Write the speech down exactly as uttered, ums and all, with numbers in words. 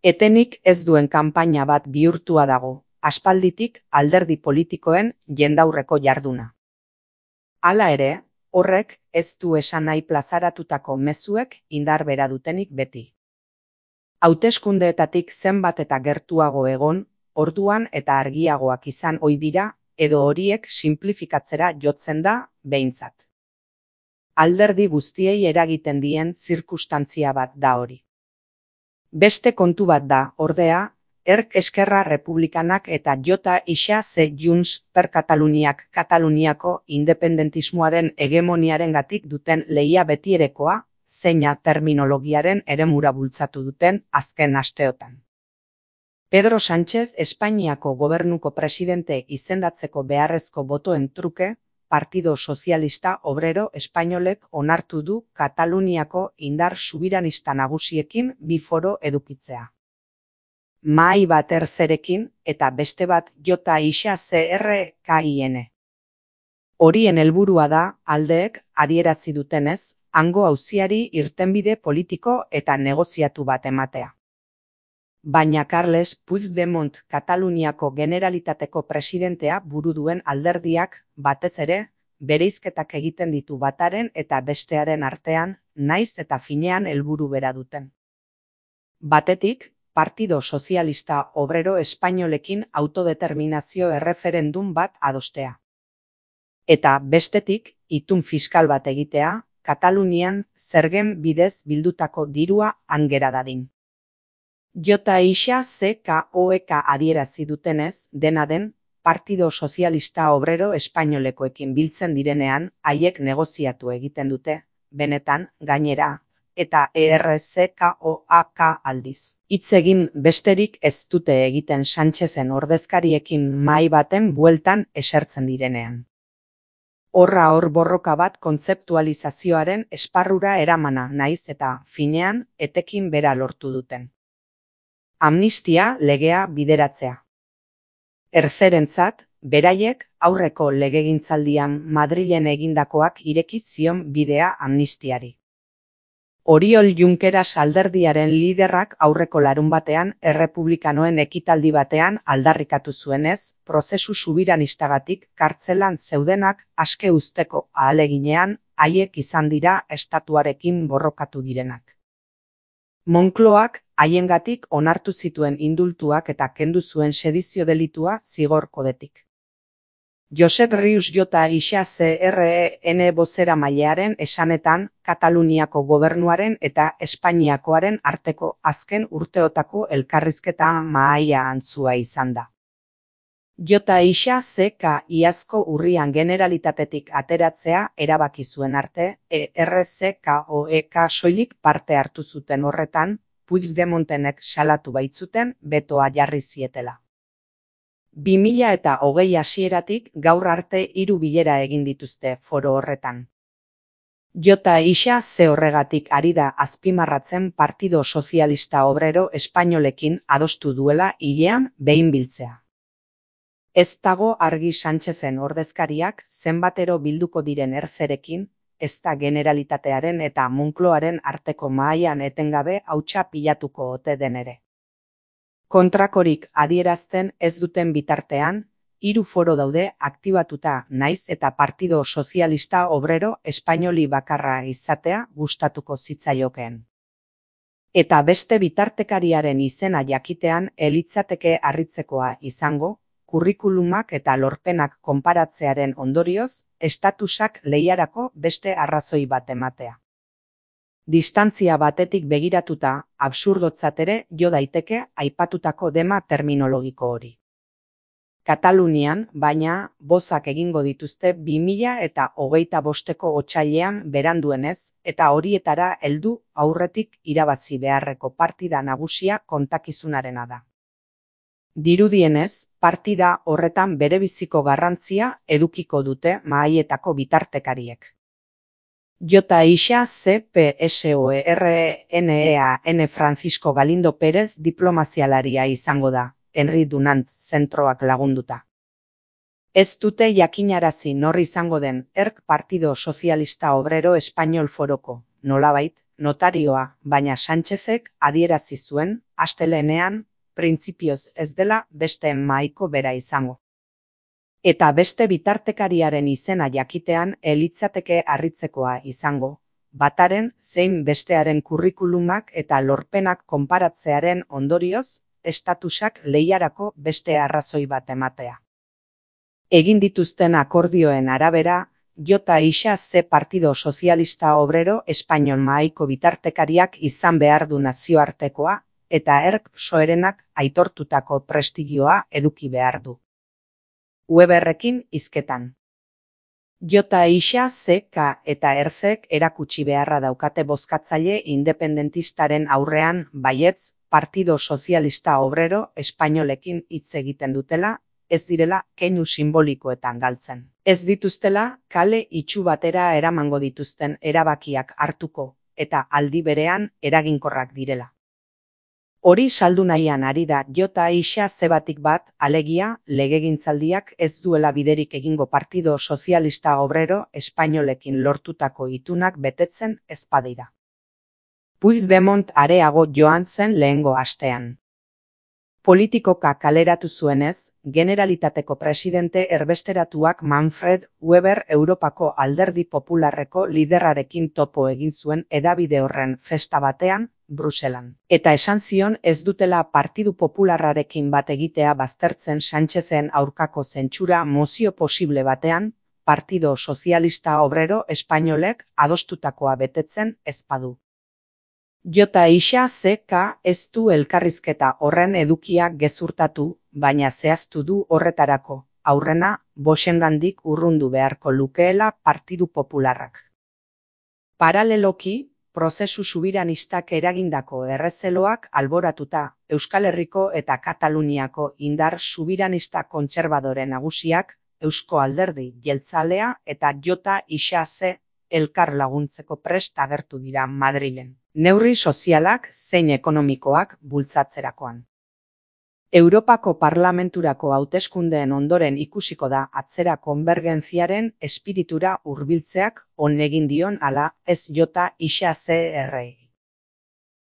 Etenik ez duen kanpaina bat bihurtua dago, aspalditik alderdi politikoen jendaurreko jarduna. Hala ere, horrek ez du esan nahi plazaratutako mezuek indar bera dutenik beti. Hauteskundeetatik zenbat eta gertuago egon, orduan eta argiagoak izan ohi dira, edo horiek sinplifikatzera jotzen da, behintzat. Alderdi guztiei eragiten dien zirkustantzia bat da hori. Beste kontu bat da, ordea, Erk Eskerra Republikanak eta J. Ixa C. Junts per Kataluniak Kataluniako independentismoaren hegemoniarengatik duten lehia betierekoa, zeina terminologiaren eremura bultzatu duten azken asteotan. Pedro Sánchez Espainiako gobernuko presidente izendatzeko beharrezko botoen truke, Partido Sozialista Obrero Espainolek onartu du Kataluniako indar subiranista nagusiekin bi foro edukitzea. Mahai bat erzerekin eta beste bat J. Ixa C R K I N. Horien helburua da, aldeek adierazi dutenez, hango auziari irtenbide politiko eta negoziatu bat ematea. Baina Carles Puigdemont Kataluniako Generalitateko presidentea buru duen alderdiak, batez ere, bereizketak egiten ditu bataren eta bestearen artean, naiz eta finean helburu bera duten. Batetik, Partido Sozialista Obrero Espainolekin autodeterminazio erreferendum bat adostea. Eta bestetik, itun fiskal bat egitea, Katalunian zergen bidez bildutako dirua hangera dadin. J. Ixa C K O E K adierazi dutenez, dena den, Partido Sozialista Obrero Espainolekoekin biltzen direnean, haiek negoziatu egiten dute, benetan, gainera, eta E R C K O A K aldiz. Hitz egin besterik ez dute egiten Sánchezen ordezkariekin mahai baten bueltan esertzen direnean. Horra hor borroka bat kontzeptualizazioaren esparrura eramana naiz eta, finean, etekin bera lortu duten. Amnistia legea bideratzea. Erzerentzat, beraiek aurreko legegintzaldian Madrilen egindakoak ireki zion bidea amnistiari. Oriol Junqueras alderdiaren liderrak aurreko larunbatean errepublikanoen ekitaldi batean aldarrikatu zuenez, prozesu subiranistagatik kartzelan zeudenak aske uzteko ahaleginean haiek izan dira estatuarekin borrokatu direnak. Moncloak haiengatik onartu zituen indultuak eta kendu zuen sedizio delitua zigor kodetik. Josep Rius J. Ixa C R N bozeramailearen esanetan, Kataluniako gobernuaren eta Espainiakoaren arteko azken urteotako elkarrizketa mahaia antzua izan da. J. Ixa C K iazko urrian Generalitatetik ateratzea erabaki zuen arte, E R C K O E K soilik parte hartu zuten horretan, Puigdemontenek salatu baitzuten betoa jarri zietela. bi mila eta hogei hasieratik gaur arte hiru bilera egin dituzte foro horretan. J. Ixa C horregatik ari da azpimarratzen Partido Sozialista Obrero Espainolekin adostu duela hilean behin biltzea. Ez dago argi Sánchezen ordezkariak zenbatero bilduko diren erzerekin, ez da Generalitatearen eta Moncloaren arteko mahaian etengabe hautsa pilatuko ote den ere. Kontrakorik adierazten ez duten bitartean, hiru foro daude aktibatuta naiz eta Partido Sozialista Obrero Espainoli bakarra izatea gustatuko zitzaiokeen. Eta beste bitartekariaren izena jakitean elitzateke harritzekoa izango, kurrikulumak eta lorpenak konparatzearen ondorioz, estatusak lehiarako beste arrazoi bat ematea. Distantzia batetik begiratuta, absurdotzat ere jo daiteke aipatutako dema terminologiko hori. Katalunian, baina, bozak egingo dituzte bi mila eta hogeita bosteko otsailean beranduenez, eta horietara heldu aurretik irabazi beharreko partida nagusia kontakizunarena da. Dirudienez, partida horretan berebiziko garrantzia edukiko dute mahaietako bitartekariek. J. Ixa C P S O R N E A N Francisco Galindo Pérez diplomazialaria izango da, Henri Dunant zentroak lagunduta. Ez dute jakinarazi nor izango den Erk Partido Sozialista Obrero Espainol foroko, nolabait, notarioa, baina Sánchezek adierazi zuen, astelehenean, printzipioz ez dela beste mahaiko bera izango. Eta beste bitartekariaren izena jakitean elitzateke harritzekoa izango, bataren zein bestearen kurrikulumak eta lorpenak konparatzearen ondorioz, estatusak lehiarako beste arrazoi bat ematea. Egin dituzten akordioen arabera, J. Isa C. Partido Sozialista Obrero Espainol mahaiko bitartekariak izan behar du nazioartekoa, eta erk Psoerenak aitortutako prestigioa eduki behar du. Weberrekin hizketan. J. Isa C. K. eta erzek erakutsi beharra daukate bozkatzaile independentistaren aurrean baietz Partido Sozialista Obrero Espainolekin hitz egiten dutela, ez direla keinu simbolikoetan galtzen. Ez dituztela kale itxu batera eramango dituzten erabakiak hartuko, eta aldi berean eraginkorrak direla. Hori saldu nahian ari da J. Isa zebatik bat, alegia, legegintzaldiak ez duela biderik egingo Partido Sozialista Obrero Espainolekin lortutako itunak betetzen ez badira. Puigdemont areago joan zen lehengo astean. Politikoka kaleratu zuenez, Generalitateko presidente erbesteratuak Manfred Weber Europako Alderdi Popularreko liderrarekin topo egin zuen hedabide horren festa batean, Bruselan. Eta esan zion ez dutela Partidu Popularrarekin bat egitea baztertzen Sánchezen aurkako zentsura mozio posible batean, Partido Sozialista Obrero Espainolek adostutakoa betetzen ez badu. J. Isa C. K. ez du elkarrizketa horren edukia gezurtatu, baina zehaztu du horretarako, aurrena, Boschengandik urrundu beharko lukeela Partidu Popularrak. Paraleloki, prozesu subiranistak eragindako errezeloak alboratuta, Euskal Herriko eta Kataluniako indar subiranista kontserbadore nagusiak, Eusko Alderdi Jeltzalea eta J. Isa C. elkar laguntzeko prest agertu dira Madrilen. Neurri sozialak zein ekonomikoak bultzatzerakoan. Europako Parlamenturako hauteskundeen ondoren ikusiko da atzera konbergentziaren espiritura hurbiltzeak on egin dion ala ez J. Isa C. R.